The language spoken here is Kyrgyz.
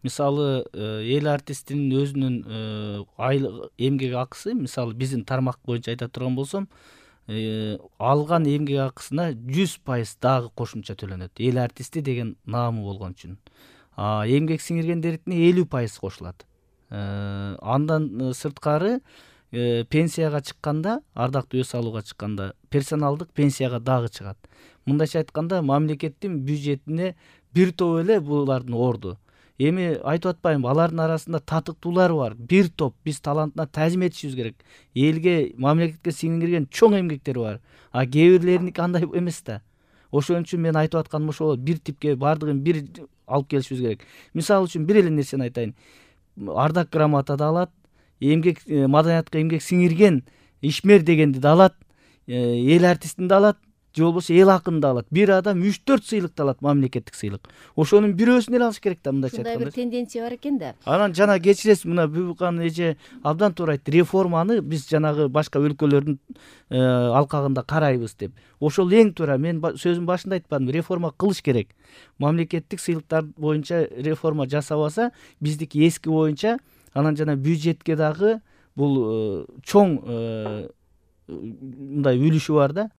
Мисалы эл артистинин өзүнүн айлык эмгек акысы, мисалы биздин тармак боюнча айта турган болсом, алган эмгек акысына 100% дагы кошумча төлөнөт. Эл артисти деген наамы болгон үчүн. Эмгек сиңиргендердикине 50% кошулат. Андан сырткары пенсияга чыкканда, ардактуу өз алууга чыкканда персоналдык пенсияга дагы чыгат. Мындайча айтканда, мамлекеттин бюджетине бир топ эле булардын орду. Эми айтып атпаймынбы, алардын арасында татыктуулар бар. Бир топ биз талантына таазим этишибиз керек. Элге, мамлекетке сиңирген чоң эмгектер бар. Кээ бирлериники андай эмес да. Ошон үчүн мен айтып атканым ошол болот. Бир типке бардыгын бир алып келишибиз керек. Мисалы үчүн бир эле нерсени айтайын. Ардак грамота да алат, эмгек маданиятка эмгек сиңирген ишмер дегенди да алат, эл артистин да алат, же болбосо эл акынын да алат. Бир адам 3-4 сыйлыкты алат, мамлекеттик сыйлык. Ошонун бирөөсүн эле алыш керек да, мындайча айтканда. Ушундай бир тенденция бар экен да. Анан жана кечиресиз, мына Бүбүкан эже абдан туура айтты. Реформаны биз жанагы башка өлкөлөрдүн алкагында карайбыз деп. Ошол эң туура. Мен сөзүм башында айтпадымбы, реформа кылыш керек. Мамлекеттик сыйлыктар боюнча реформа жасабаса, биздики эски боюнча, анан жана бюджетке дагы бул чоң мындай үлүшү бар да.